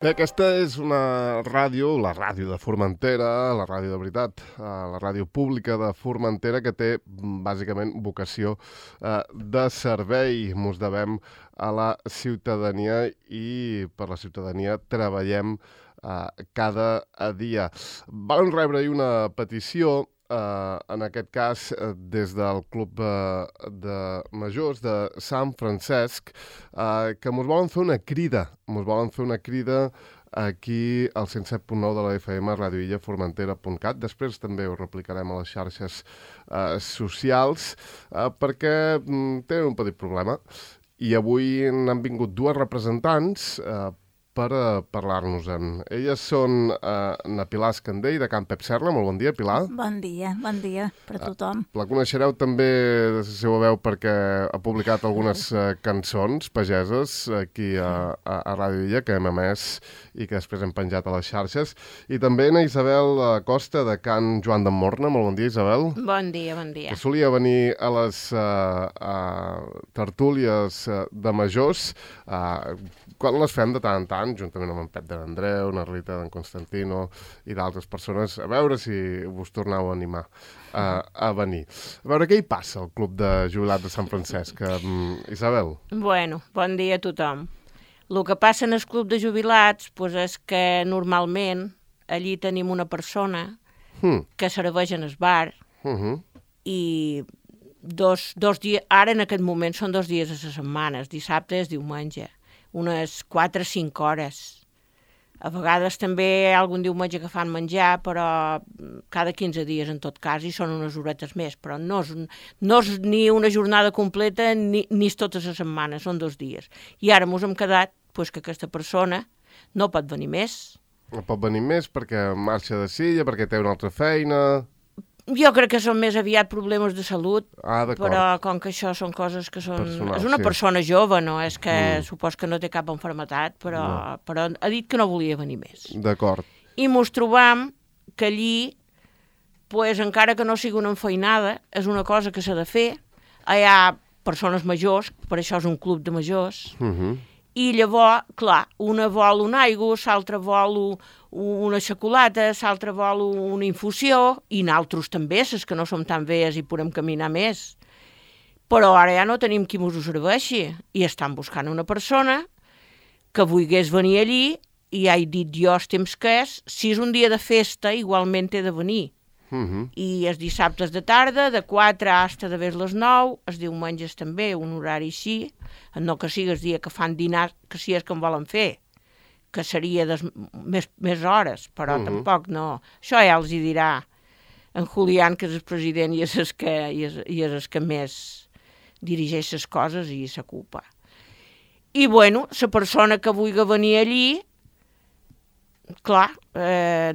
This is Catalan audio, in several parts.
Bé, aquesta és una ràdio, la ràdio de Formentera, la ràdio de veritat, la ràdio pública de Formentera, que té bàsicament vocació de servei. Mos devem a la ciutadania i per la ciutadania treballem cada dia. Vam rebre ahir una petició, en aquest cas des del Club de Majors de Sant Francesc, que mos volen fer una crida. Mos volen fer una crida aquí al 107.9 de la FM, radioillaformentera.cat. Després també ho replicarem a les xarxes socials, perquè tenen un petit problema. I avui n'han vingut dues representants per parlar-nos-en. Elles són na Pilar Escandell, de Can Pep Serra. Molt bon dia, Pilar. Bon dia per a tothom. La coneixereu també de la seva veu perquè ha publicat algunes cançons pageses aquí a Ràdio Illa, que hem emès i que després hem penjat a les xarxes. I també na Isabel Costa, de Can Joan de Morna. Molt bon dia, Isabel. Bon dia, bon dia. Que solia venir a les tertúlies de majors, quan les fem de tant en tant, juntament amb en Pep de l'Andreu, na Rita d'en Constantino i d'altres persones, a veure si vos torneu a animar a venir. A veure, què hi passa al Club de Jubilats de Sant Francesc, Isabel? Bueno, bon dia a tothom. El que passa en el Club de Jubilats és que normalment allí tenim una persona que serveix en el bar i dos dies, ara en aquest moment són 2 dies a la setmana, dissabte i diumenge, unes 4 o 5 hores. A vegades també hi ha algun diumenge que fan menjar, però cada 15 dies en tot cas, i són unes horetes més, però no és ni una jornada completa ni totes les setmanes, són 2 dies. I ara ens hem quedat que aquesta persona no pot venir més. No pot venir més perquè marxa de Silla, perquè té una altra feina... Jo crec que són més aviat problemes de salut, però com que això són coses que són... Personal, és una sí. Persona jove, no? És que supos que no té cap malaltia, però ha dit que no volia venir més. D'acord. I mos trobam que allí, encara que no sigui una enfeinada, és una cosa que s'ha de fer. Hi ha persones majors, per això és un club de majors, i llavors, clar, una vol una aigua, l'altra vol una xocolata, l'altra vol una infusió, i nosaltres també, ses que no som tan velles i podem caminar més. Però ara ja no tenim qui mos ho serveixi, i estan buscant una persona que volgués venir allí, i ja he dit jo els temps que és, si és un dia de festa, igualment he de venir. I els dissabtes de tarda, de 4 fins a les 9, els diumenges també, un horari així, no que sigui el dia que fan dinar, que si és que en volen fer, que seria més hores, però tampoc no. Això ja els hi dirà en Julián, que és el president i és el que més dirigeix les coses i s'ocupa. I bueno, la persona que vulgui venir allí, clar,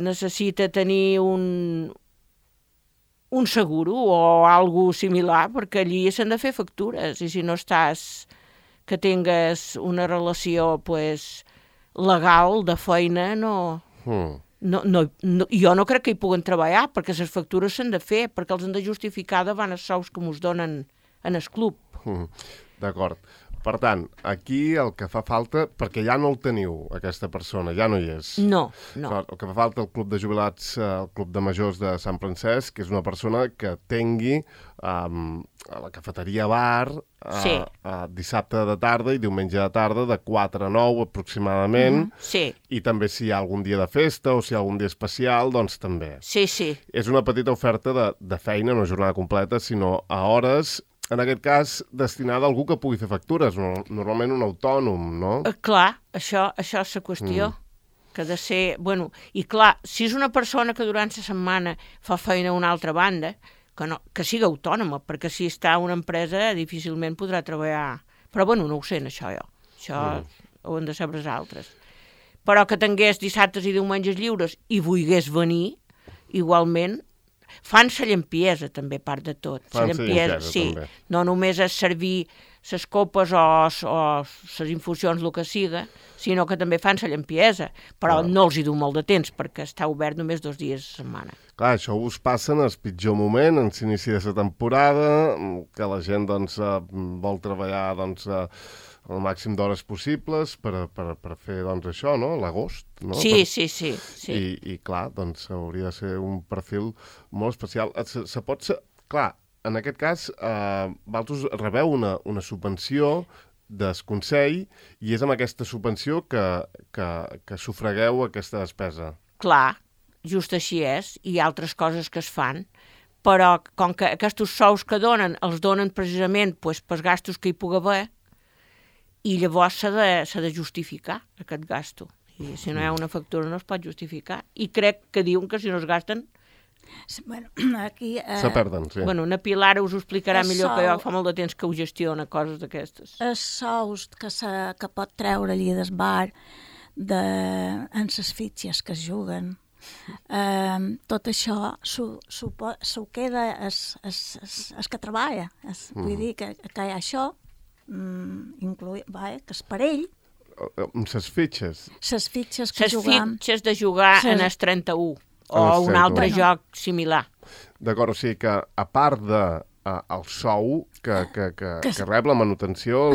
necessita tenir un seguro o algo similar, perquè allí s'han de fer factures, i si no estàs que tingues una relació legal de feina, jo no crec que hi puguen treballar, perquè les factures s'han de fer, perquè els han de justificar davant els sous que ens donen en el club. D'acord. Per tant, aquí el que fa falta, perquè ja no el teniu, aquesta persona, ja no hi és. No. El que fa falta al Club de Jubilats, el Club de Majors de Sant Francesc, és una persona que tingui a la cafeteria bar dissabte de tarda i diumenge de tarda de 4 a 9 aproximadament. I també si hi ha algun dia de festa o si hi ha algun dia especial, doncs també. Sí. És una petita oferta de feina, no jornada completa, sinó a hores, en aquest cas, destinada a algú que pugui fer factures, normalment un autònom, no? Clar, això és la qüestió, que ha de ser... Bueno, i clar, si és una persona que durant la setmana fa feina a una altra banda, que sigui autònoma, perquè si està a una empresa difícilment podrà treballar. Però bueno, no ho sé, això jo. Això ho han de saber els altres. Però que tingués dissabtes i diumenges lliures i volgués venir, igualment, fan la llampiesa, també, part de tot. Fan la llampiesa, sí. També. No només és servir les copes o les infusions, el que siga, sinó que també fan la llampiesa. Però no els hi du molt de temps, perquè està obert només 2 dies a la setmana. Clar, això us passa en el pitjor moment, en l'inici de la temporada, que la gent vol treballar el màxim d'hores possibles per fer, doncs, això, no? L'agost, no? Sí. I clar, doncs, hauria de ser un perfil molt especial. Se pot ser... Clar, en aquest cas, vosaltres rebeu una subvenció del Consell i és amb aquesta subvenció que sufragueu aquesta despesa. Clar, just així és. Hi ha altres coses que es fan, però com que aquests sous que donen, els donen precisament pels gastos que hi pugui haver, i llavors s'ha de justificar aquest gasto. I si no hi ha una factura no es pot justificar. I crec que diuen que si no es gasten... Bueno, aquí... Se perden, sí. Bueno, na Pilar us ho explicarà millor que jo, fa molt de temps que ho gestiona, coses d'aquestes. Els sous que pot treure allí del bar en les fitxes que es juguen, tot això s'ho queda el que treballa. Vull dir que hi ha això, que és per ell. Les fitxes? Les fitxes que juguem. Les fitxes de jugar en el 31, o un altre joc similar. D'acord, o sigui que a part del sou que rep, la manutenció,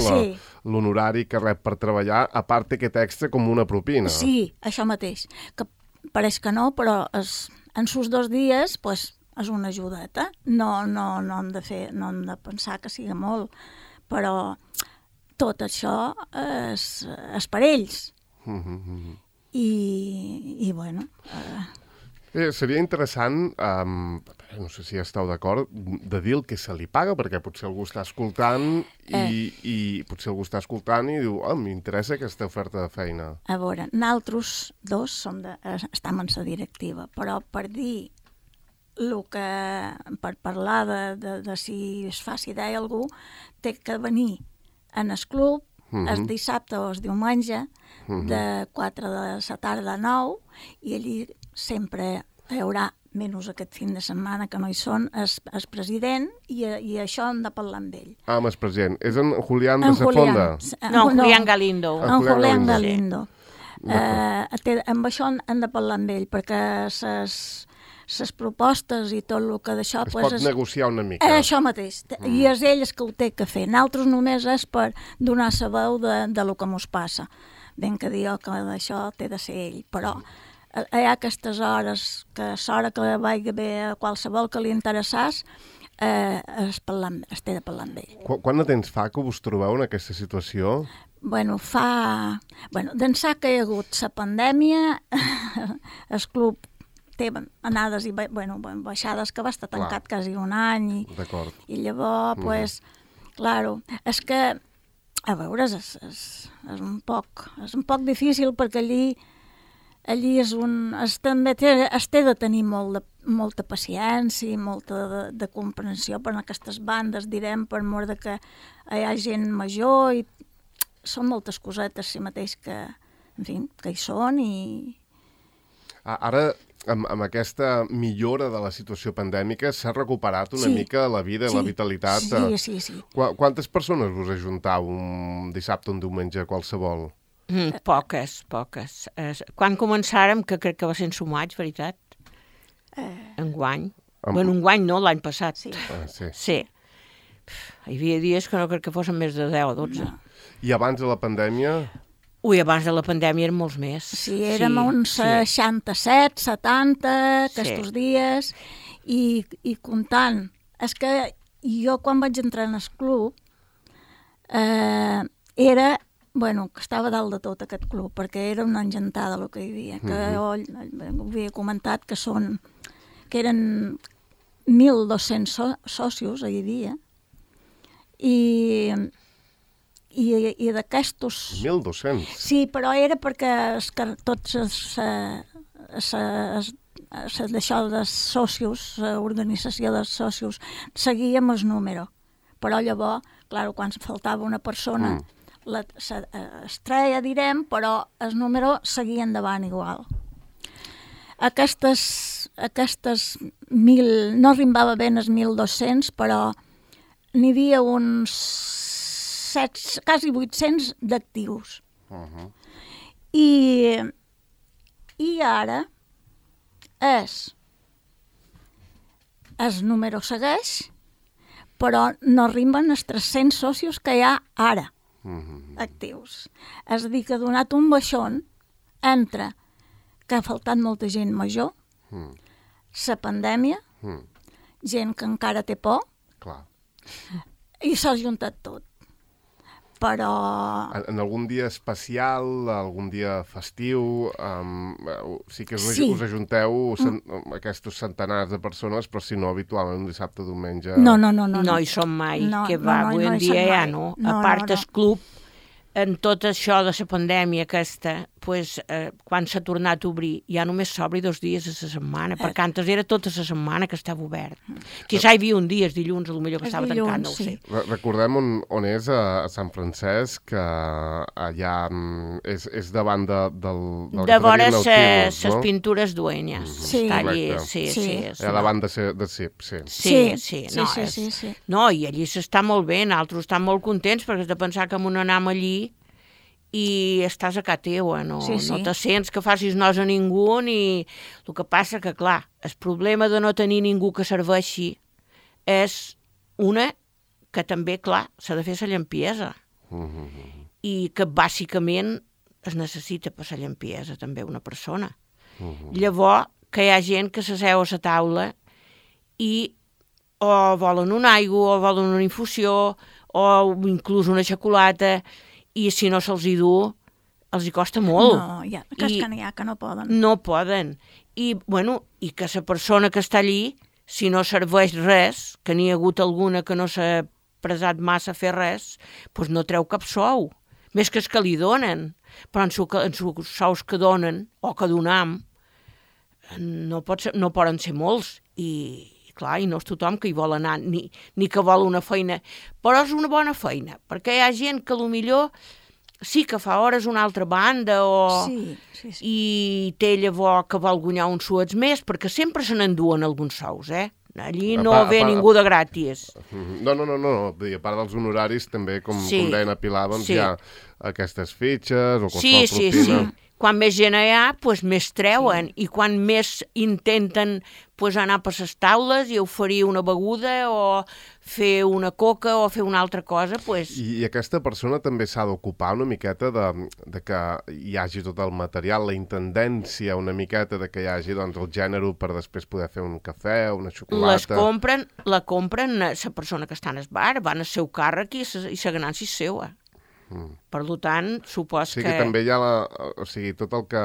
l'honorari que rep per treballar, a part té aquest extra com una propina. Sí, això mateix. Que pareix que no, però en sus 2 dies és una ajudeta. No hem de pensar que sigui molt, però tot això és per ells. I bueno... Seria interessant, no sé si esteu d'acord, de dir el que se li paga, perquè potser algú està escoltant i potser algú està escoltant i diu, m'interessa aquesta oferta de feina. A veure, nosaltres dos estem en la directiva, però per dir per parlar de si es faci idea algú, té que venir en el club el dissabte o el diumenge de 4 de la tarda a 9 i allí sempre hi haurà, menys aquest fin de setmana que no hi són, el president i això hem de parlar amb ell. Amb el president. És en Julián de Safonda? No, Julián Galindo. En Julián Galindo. Amb això hem de parlar amb ell, perquè les propostes i tot el que d'això... Es pot negociar una mica. Això mateix. I és ell el que ho té que fer. Nosaltres només és per donar la veu de lo que mos passa. Ben que diu que d'això té de ser ell, però hi ha aquestes hores que l'hora que vagi bé a qualsevol que li interessàs es té de parlar amb ell. Quant de temps fa que us trobeu en aquesta situació? D'ençà que hi ha hagut la pandèmia, el club té anades i baixades, que va estar tancat quasi un any i llavors, claro, és que a veure, és un poc difícil perquè allí també es té de tenir molta paciència i molta de comprensió per aquestes bandes, direm, per mort de que hi ha gent major i són moltes cosetes si mateix que, en fi, que hi són i... Ara, amb aquesta millora de la situació pandèmica, s'ha recuperat una mica la vida i la vitalitat. Sí. Quantes persones us ajuntau un dissabte o un diumenge qualsevol? Poques. Quan començàrem, que crec que va ser en Sumaig, veritat? Enguany. Bueno, enguany no, l'any passat. Sí. Hi havia dies que no crec que fossin més de 10 o 12. I abans de la pandèmia... Abans de la pandèmia eren molts més. Sí, érem uns 67, 70, aquests dies, i comptant. És que jo, quan vaig entrar en el club, era... que estava dalt de tot aquest club, perquè era una engentada el que hi havia, que jo havia comentat que eren 1.200 socios, hi havia, i d'aquestos... 1.200? Sí, però era perquè tots d'això de socios, l'organització dels socios, seguíem el número, però llavors, clar, quan faltava una persona... es treia, direm, però el número seguia endavant igual. Aquestes 1.000, no arribava ben els 1.200, però n'hi havia uns quasi 800 d'actius. I ara el número segueix, però no arriben els 300 socios que hi ha ara. actius. És a dir, que ha donat un baixón entre que ha faltat molta gent major, la pandèmia, gent que encara té por, clar, i s'ha juntat tot. Però... En algun dia especial, algun dia festiu, sí que us ajunteu aquests centenars de persones, però si no, habitualment un dissabte, diumenge... No. No hi som mai, que va, avui en dia ja no. A part el club, en tot això de la pandèmia aquesta, quan s'ha tornat a obrir, ja només s'obri 2 dies a la setmana, perquè antes era tota la setmana que estava obert. Quizà hi havia un dia, dilluns, potser que estava tancat, no ho sé. Recordem on és, a Sant Francesc, que allà és davant del de vora les pintures duenyes. Sí, està allí, sí. Allà davant de CIP, sí. No, i allí s'està molt bé, nosaltres estem molt contents, perquè has de pensar que anem allí i estàs a casa teua, no te sents que facis nos a ningú, ni... El que passa que, clar, el problema de no tenir ningú que serveixi és que també, clar, s'ha de fer la llampiesa. I que, bàsicament, es necessita per la llampiesa, també, una persona. Llavors, que hi ha gent que s'asseu a la taula i o volen una aigua, o volen una infusió, o inclús una xocolata, i si no se'ls hi du, els hi costa molt. No, que no poden. No poden. I que la persona que està allí, si no serveix res, que n'hi ha hagut alguna que no s'ha presat massa a fer res, doncs no treu cap sou. Més que els que li donen. Però en els sous que donen, o que donam, no poden ser molts. I clar, i no és tothom que hi vol anar, ni que vol una feina, però és una bona feina, perquè hi ha gent que potser sí que fa hores una altra banda, i té llavors que vol guanyar uns suets més, perquè sempre se n'enduen alguns sous, Allí no ve ningú de gratis. No, a part dels honoraris també, com deien a Pilar, doncs hi ha aquestes fitxes o qualsevol propina. Sí. Quan més gent hi ha, més treuen, i quan més intenten anar per les taules i oferir una beguda o fer una coca o fer una altra cosa, I aquesta persona també s'ha d'ocupar una miqueta de que hi hagi tot el material, la intendència una miqueta de que hi hagi el gènere per després poder fer un cafè o una xocolata. La compren la persona que està en el bar, van al seu càrrec i la ganància és seva. Per tant, supos que... Sí, que també hi ha tot el que...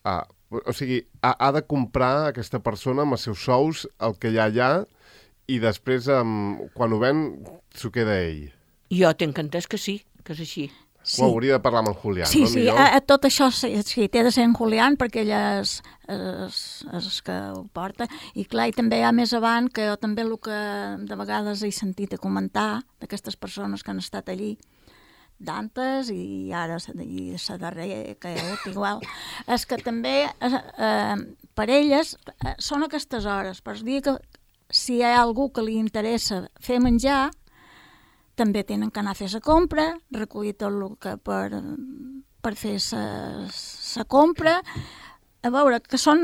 ha de comprar aquesta persona amb els seus sous el que hi ha allà i després, quan ho ven, s'ho queda ell. Jo tinc entès que sí, que és així. Ho hauria de parlar amb en Julián, no? Sí, tot això té de ser en Julián, perquè ell és que ho porta. I clar, i també hi ha més avant, que jo també el que de vegades he sentit a comentar d'aquestes persones que han estat allí, d'antes i ara la darrera que hi ha hagut igual, és que també per elles són aquestes hores, per dir que si hi ha algú que li interessa fer menjar, també tenen que anar a fer la compra, recollir tot el que per fer la compra, a veure, que són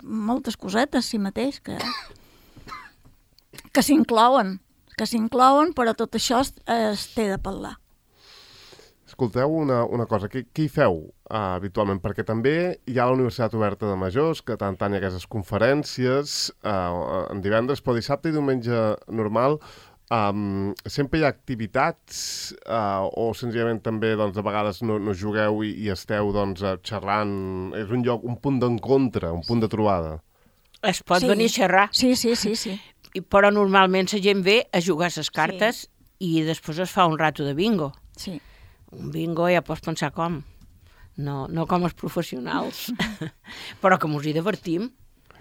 moltes cosetes, si mateix, que s'inclouen, però tot això es té de parlar. Escolteu una cosa, què hi feu habitualment? Perquè també hi ha la Universitat Oberta de Majors, que tant hi ha aquestes conferències, en divendres, però dissabte i diumenge normal, sempre hi ha activitats o senzillament també de vegades no jugueu i esteu xerrant, és un lloc, un punt d'encontre, un punt de trobada. Es pot venir a xerrar. Sí. Però normalment la gent ve a jugar a les cartes i després es fa un rato de bingo. Sí. Un bingo ja pots pensar com. No com els professionals. Però que mos hi divertim.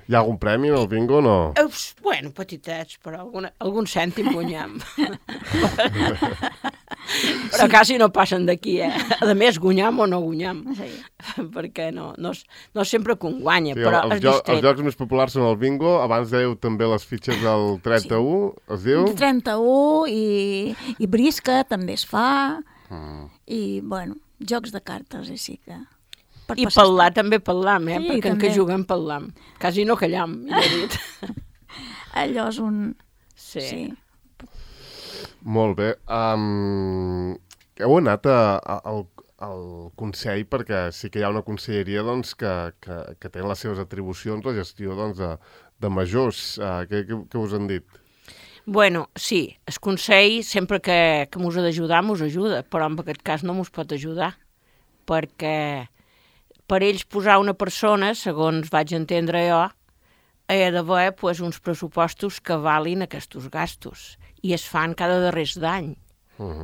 Hi ha algun premi en el bingo o no? Bueno, petitets, però algun cèntim guanyam. Però quasi no passen d'aquí, A més, guanyam o no guanyam. Sí. Perquè no sempre que un guanya, però és distret. Els jocs més populars són el bingo, abans dèieu també les fitxes del 31, es diu? El 31 i brisca també es fa, i, bueno, jocs de cartes, així que... I parlar també parlam, perquè en què juguem parlam. Quasi no callam, ja he dit. Allò és un... Sí. Molt bé. Heu anat al Consell, perquè sí que hi ha una conselleria doncs, que té les seves atribucions la gestió doncs, de majors. Què us han dit? Bueno, sí, el Consell sempre que mos ha d'ajudar, mos ajuda, però en aquest cas no mos pot ajudar, perquè per ells posar una persona, segons vaig entendre jo, ha d'haver uns pressupostos que valin aquests gastos, i es fan cada darrers d'any.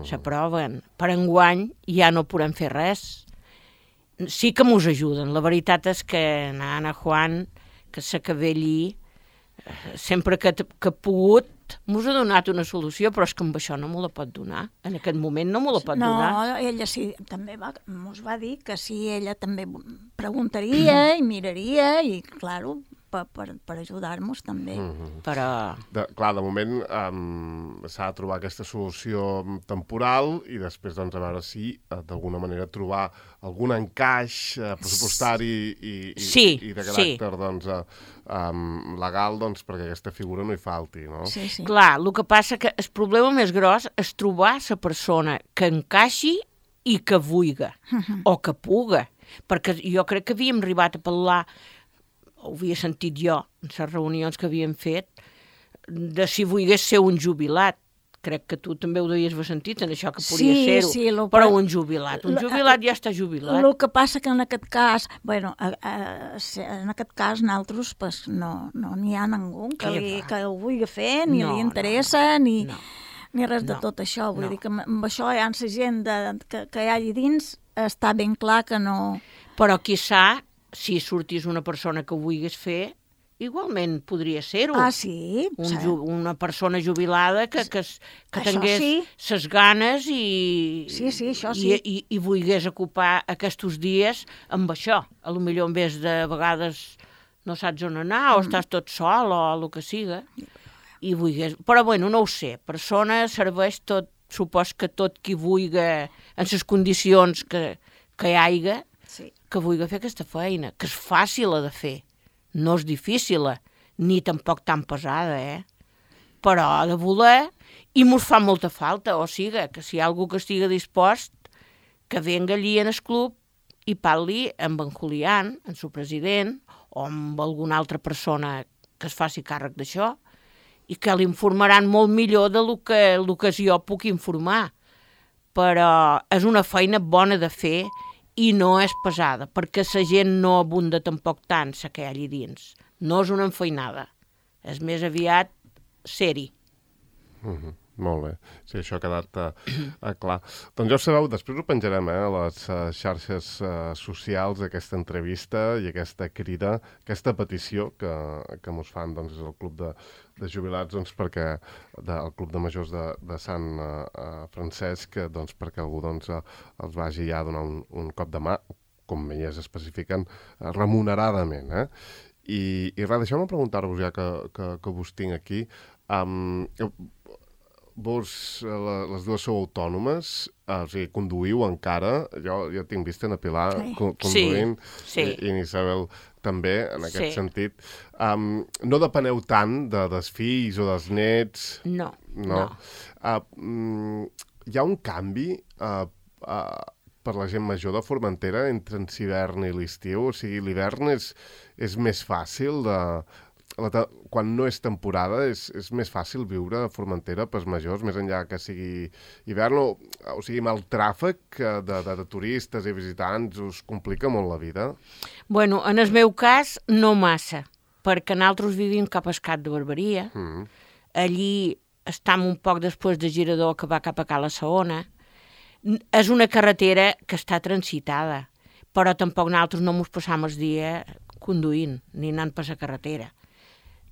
S'aproven. Per enguany ja no podem fer res. Sí que mos ajuden. La veritat és que Ana Juan, que s'acaba allí, sempre que ha pogut, mos ha donat una solució, però és que amb això no me la pot donar. En aquest moment no me la pot donar. No, ella sí, també mos va dir que sí, ella també preguntaria i miraria i, claro, per ajudar-nos també. Però... Clar, de moment s'ha de trobar aquesta solució temporal i després doncs, a veure si d'alguna manera trobar algun encaix pressupostari i de caràcter doncs, legal doncs, perquè aquesta figura no hi falti, no? Sí. Clar, el que passa que el problema més gros és trobar la persona que encaixi i que vulga, o que puga, perquè jo crec que havíem arribat a parlar, ho havia sentit jo en les reunions que havíem fet, de si volgués ser un jubilat. Crec que tu també ho devies haver sentit, en això que podia ser-ho. Però un jubilat ja està jubilat. El que passa que en aquest cas, en aquest cas nosaltres pues, no n'hi ha ningú que ho vulgui fer, ni li interessa, ni res de tot això. Vull dir que amb això hi ha la gent que hi hagi dins, està ben clar que no... Però quizà, si sortís una persona que ho volgués fer, igualment podria ser-ho. Ah, sí? Una persona jubilada que tingués ses ganes i volgués ocupar aquests dies amb això. A lo millor en vez de vegades no saps on anar o estàs tot sol o el que siga. I volgués... Però bueno, no ho sé. Persona serveix tot, supos que tot qui vulgui en les condicions que hi hagi, que vulgui fer aquesta feina, que és fàcil de fer. No és difícil, ni tampoc tan pesada, Però ha de voler i mos fa molta falta, o sigui, que si hi ha algú que estigui dispost, que venga allí en el club i parli amb en Julián, el seu president, o amb alguna altra persona que es faci càrrec d'això, i que l'informaran molt millor del que jo puc informar. Però és una feina bona de fer i no és pesada, perquè la gent no abunda tampoc tant la que hi ha allà dins. No és una enfeinada, és més aviat ser-hi. Molt bé, sí, això ha quedat clar. Doncs ja ho sabeu, després ho penjarem a les xarxes socials d'aquesta entrevista i aquesta crida, aquesta petició que mos fan doncs, el Club de Jubilats, doncs, perquè el Club de Majors de Sant Francesc, doncs, perquè algú doncs, els vagi ja a donar un cop de mà, com elles especifiquen, remuneradament. I res, deixeu-me preguntar-vos ja que vos tinc aquí. Vos, les dues sou autònomes, o sigui, conduïu encara, jo tinc vist en Pilar conduint, i en Isabel també, en aquest sentit. No depeneu tant dels fills o dels nets? No. Hi ha un canvi per la gent major de Formentera entre l'hivern i l'estiu? O sigui, l'hivern és més fàcil quan no és temporada, és més fàcil viure a Formentera pels majors, més enllà que sigui hivern, o sigui, amb el tràfic de turistes i visitants us complica molt la vida? Bueno, en el meu cas, no massa, perquè nosaltres vivim cap a Escat de Barberia. Allí estem un poc després de Girador, que va cap a Cala Saona. És una carretera que està transitada, però tampoc nosaltres no ens passam el dia conduint, ni anant per la carretera.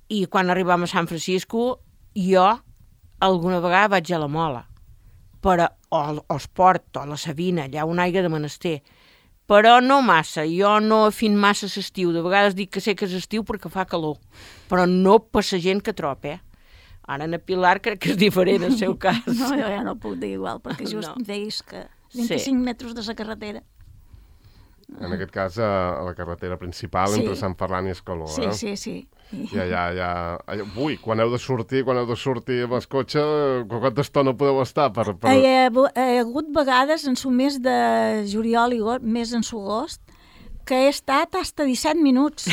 I quan arribam a Sant Francisco, jo alguna vegada vaig a la Mola, o al Port, o a la Sabina, allà on hi ha de menester. Però no massa, jo no afin massa l'estiu. De vegades dic que sé que és estiu perquè fa calor, però no per la gent que trob, Ara en Pilar crec que és diferent el seu cas. No, jo ja no puc dir igual, perquè just veus que 25 metres de la carretera. En aquest cas, a la carretera principal entre Sant Ferran i Escaló. Sí. Ja. Ui, quan heu de sortir amb el cotxe, quanta estona podeu estar? Hi ha hagut vegades en el mes de juliol i més en agost, que he estat fins a 17 minuts.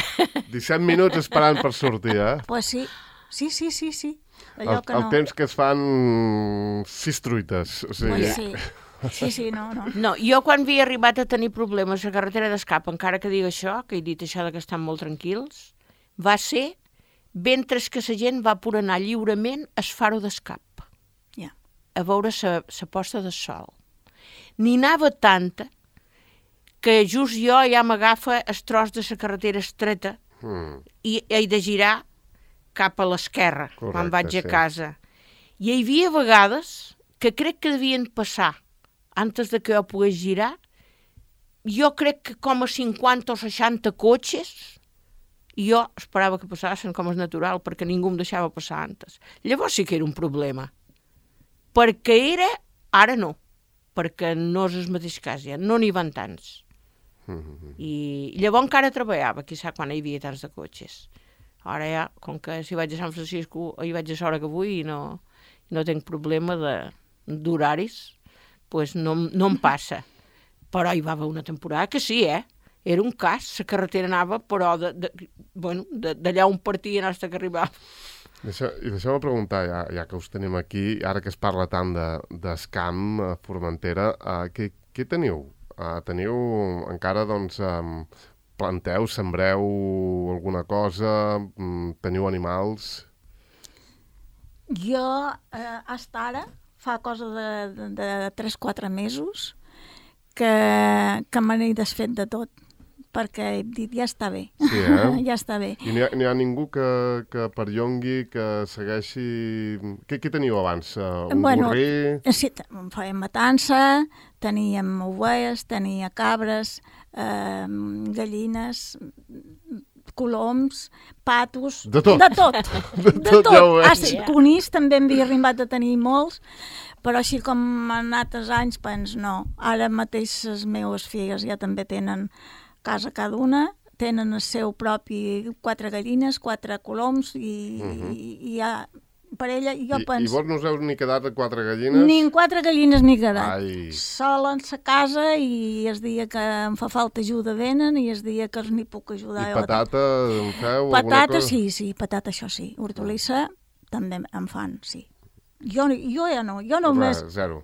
17 minuts esperant per sortir, Pues sí. El temps que es fan 6 truites. Sí, no. No, jo quan havia arribat a tenir problemes a la carretera d'escap, encara que digui això, que he dit això de que estan molt tranquils, va ser mentre que la gent va por anar lliurement al faro d'escap. A veure la posta de sol. N'hi anava tanta que just jo ja m'agafa el tros de la carretera estreta i he de girar cap a l'esquerra quan vaig a casa. I hi havia vegades que crec que devien passar antes de que jo pogués girar, jo crec que com a 50 o 60 cotxes, i jo esperava que passassin com és natural, perquè ningú em deixava passar antes. Llavors sí que era un problema. Perquè ara no, perquè no és el mateix cas ja, no n'hi van tants. I llavors encara treballava, quizà quan hi havia tants de cotxes. Ara ja, com que si vaig a Sant Francisco, hi vaig a l'hora que vull i no tinc problema d'horaris, doncs no em passa. Però hi va haver una temporada que sí, era un cas, la carretera anava, però d'allà on partien fins que arribava. I deixeu-me preguntar, ja que us tenim aquí, ara que es parla tant d'escam a Formentera, què teniu? Teniu encara, doncs, planteu, sembreu alguna cosa, teniu animals? Jo, fins ara, fa cosa de 3-4 mesos que me n'he desfet de tot, perquè he dit, ja està bé. Sí, ja està bé. I n'hi ha ningú que perllongui, que segueixi... Què teniu abans? Un gorrí? Sí, fèiem matança, teníem ovelles, tenia cabres, gallines, coloms, patos... De tot? De tot. Conills també en havia arribat a tenir molts, però així com en altres anys, no. Ara mateix les meves filles ja també tenen casa cada una, tenen el seu propi 4 gallines, 4 coloms i ja... Per ella, jo penso... I vos no us heu ni quedat a 4 gallines? Ni en 4 gallines m'he quedat. Sola en sa casa i el dia que em fa falta ajuda venen i el dia que n'hi puc ajudar... I patata en feu? Patata sí, patata això sí. Hortolissa també en fan, sí. Jo ja no, jo només... Zero.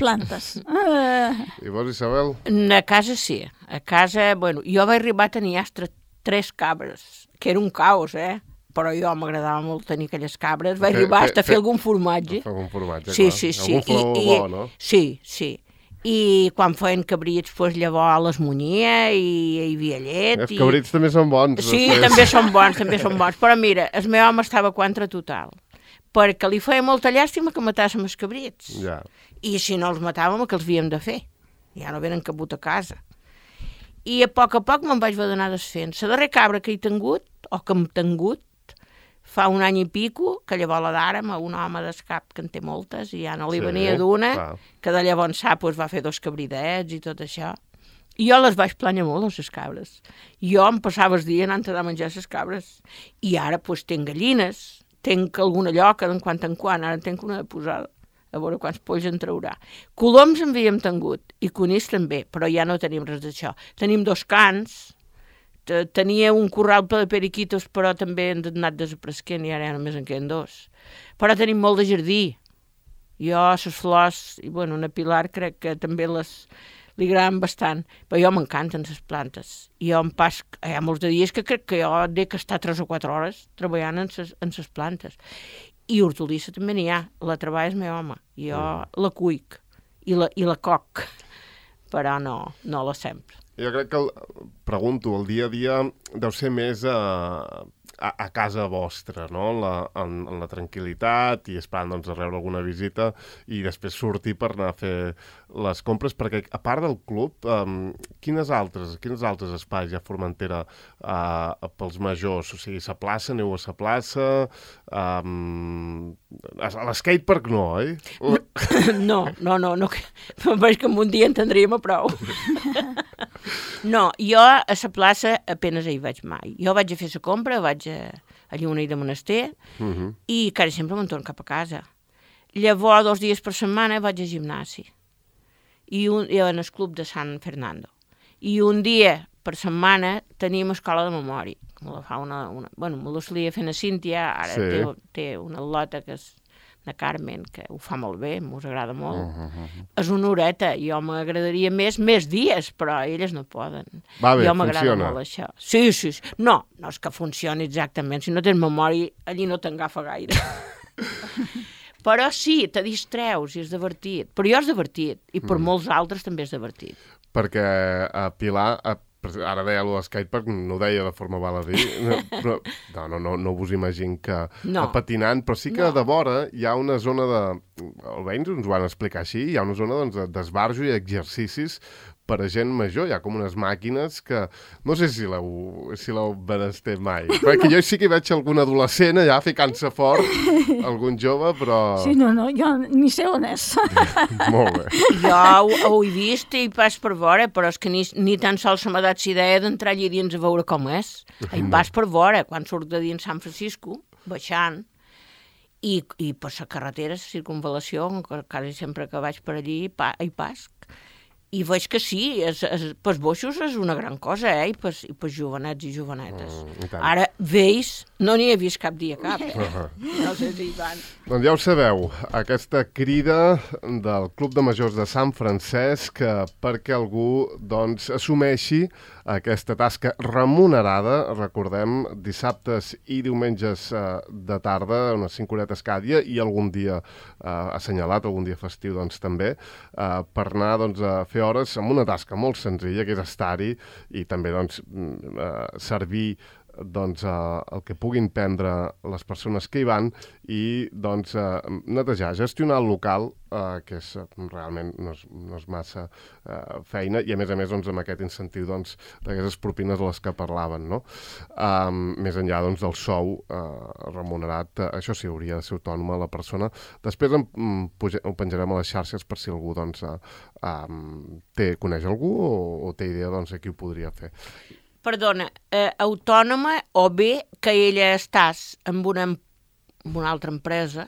Plantes. I vos, Isabel? A casa sí. A casa, jo vaig arribar a tenir 3 cabres, que era un caos, però jo m'agradava molt tenir aquelles cabres. Vaig arribar a fer algun formatge. Algun formatge, sí. Algun flor bo, no? Sí. I quan feien cabrits, llavors les munyia i hi havia llet. Els cabrits també són bons. Sí, també són bons. Però mira, el meu home estava contra total, perquè li feia molta llàstima que matàssim els cabrits. Ja. I si no els matàvem, què els havíem de fer? Ja no venen cabut a casa. I a poc me'n vaig haver d'anar desfent. La darrera cabra que he tingut, o que hem tingut, fa un any i pico, que llavors la d'ara, un home d'escap que en té moltes, i ja no li venia d'una, que de llavors sap, va fer 2 cabridets i tot això. I jo les vaig plànyer molt, les cabres. Jo em passava el dia anant a menjar les cabres. I ara, tinc gallines, tinc alguna lloca de quan en quan, ara tinc una de posada, a veure quants polls en traurà. Coloms en havíem tingut, i conills també, però ja no tenim res d'això. Tenim 2 cans, tenia un corral ple de periquitos, però també han anat desapareguent i ara només en queden 2. Però tenim molt de jardí. Jo, les flors, i una Pilar crec que també li agraden bastant, però jo m'encanten les plantes. I jo hi ha molts de dies que crec que jo he d'estar 3 o 4 hores treballant en les plantes. I hortolissa també n'hi ha, la treballa el meu home. Jo la cuic i la coc, però no la sempre. Jo crec que, pregunto, el dia a dia deu ser més a casa vostra, no? En la tranquil·litat i esperant doncs, a rebre alguna visita i després sortir per anar a fer les compres, perquè a part del club, quins altres espais hi ha a Formentera pels majors? O sigui, la plaça, aneu a la plaça, a l'escatepark no, oi? No, veig que en un dia en tindríem a prou. No, jo a la plaça apenas hi vaig mai. Jo vaig a fer la compra, vaig a Lluna i de Monaster i quasi sempre me'n torno cap a casa. Llavors, 2 dies per setmana vaig al gimnasi i en el club de San Fernando. I un dia per setmana teníem escola de memòria. Me la fa bueno, me la solia fer a Cíntia, ara té una al·lota que és de Carmen, que ho fa molt bé, m'us agrada molt. És una horeta, jo m'agradaria més dies, però elles no poden. Va bé, jo m'agrada funciona. molt això. Sí. No és que funcioni exactament. Si no tens memòria, allí no t'engafa gaire. Però sí, te distreus i és divertit. Però jo és divertit, i per molts altres també és divertit. Perquè a Pilar... Ara deia allò d'skatepark, no ho deia de forma baladí, però no vos imagino que patinant, però sí que de vora hi ha una zona de... Almenys ens ho van explicar així, hi ha una zona d'esbarjo i exercicis per a gent major. Hi ha com unes màquines que... No sé si l'heu benesté mai. Perquè jo sí que hi veig algun adolescent allà ficant-se fort, algun jove, però... Sí, no, jo ni sé on és. Molt bé. Jo ho he vist i pas per veure, però és que ni tan sols se m'ha dat la idea d'entrar allà dins a veure com és. Hi vas per veure, quan surt de dins San Francisco, baixant, i per la carretera, la circunvalació, quasi sempre que vaig per allí, hi pas. I veig que sí, pels boixos és una gran cosa, i pels jovenets i jovenetes. Ara, vells, no n'hi he vist cap dia cap. No sé si hi van. Doncs ja ho sabeu, aquesta crida del Club de Majors de Sant Francesc perquè algú assumeixi aquesta tasca remunerada, recordem, dissabtes i diumenges de tarda, unes 5 horetes cada dia, i algun dia assenyalat, algun dia festiu també, per anar a fer hores amb una tasca molt senzilla, que és estar-hi i també servir el que puguin prendre les persones que hi van i netejar, gestionar el local, que realment no és massa feina, i a més amb aquest incentiu d'aquestes propines a les que parlaven, no? Més enllà del sou remunerat, això sí, hauria de ser autònoma la persona. Després ho penjarem a les xarxes per si algú coneix algú o té idea de qui ho podria fer. Perdona, autònoma o bé que ella estàs amb una altra empresa,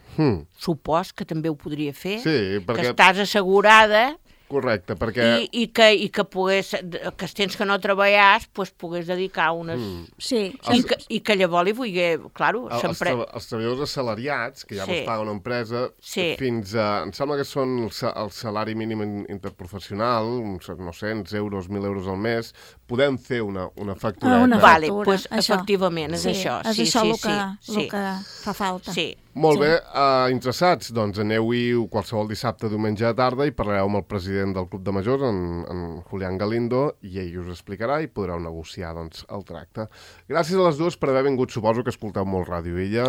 supos que també ho podria fer, que estàs assegurada. Correcte, perquè... I que pogués, que els temps que no treballas, pogués dedicar unes... Sí. I que llavors li vulgui, claro... Els treballadors assalariats, que ja mos paga una empresa, fins a... Em sembla que són el salari mínim interprofessional, uns 900 euros, 1.000 euros al mes, podem fer una factureta. Vale, doncs efectivament, és això. És això el que fa falta. Sí. Molt bé, interessats? Doncs aneu-hi qualsevol dissabte, diumenge a tarda i parlareu amb el president del Club de Majors, en Julián Galindo, i ell us explicarà i podreu negociar el tracte. Gràcies a les dues per haver vingut. Suposo que escolteu molt Ràdio Illa.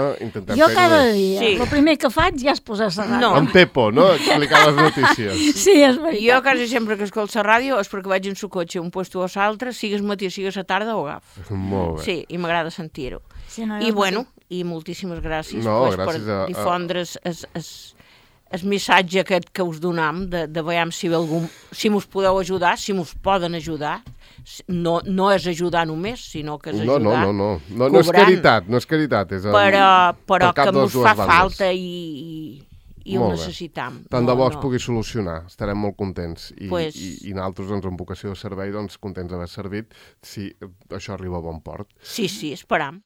Jo cada dia. El primer que faig ja és posar la ràdio. En Pepo, no? Explicar les notícies. Sí, és veritat. Jo quasi sempre que escolto la ràdio és perquè vaig en su cotxe un puesto o l'altre, sigues matí, sigues a tarda o agaf. Molt bé. Sí, i m'agrada sentir-ho. Sí, no, I bueno, i moltíssimes gràcies per difondre el missatge aquest que us donam, de veure si mos podeu ajudar, si mos poden ajudar. No és ajudar només, sinó que és ajudar No és caritat, no és caritat. Però que mos fa falta i ho necessitam. Tant de bo es pugui solucionar, estarem molt contents. I nosaltres, amb vocació de servei, contents d'haver servit, si això arriba a bon port. Sí, esperam.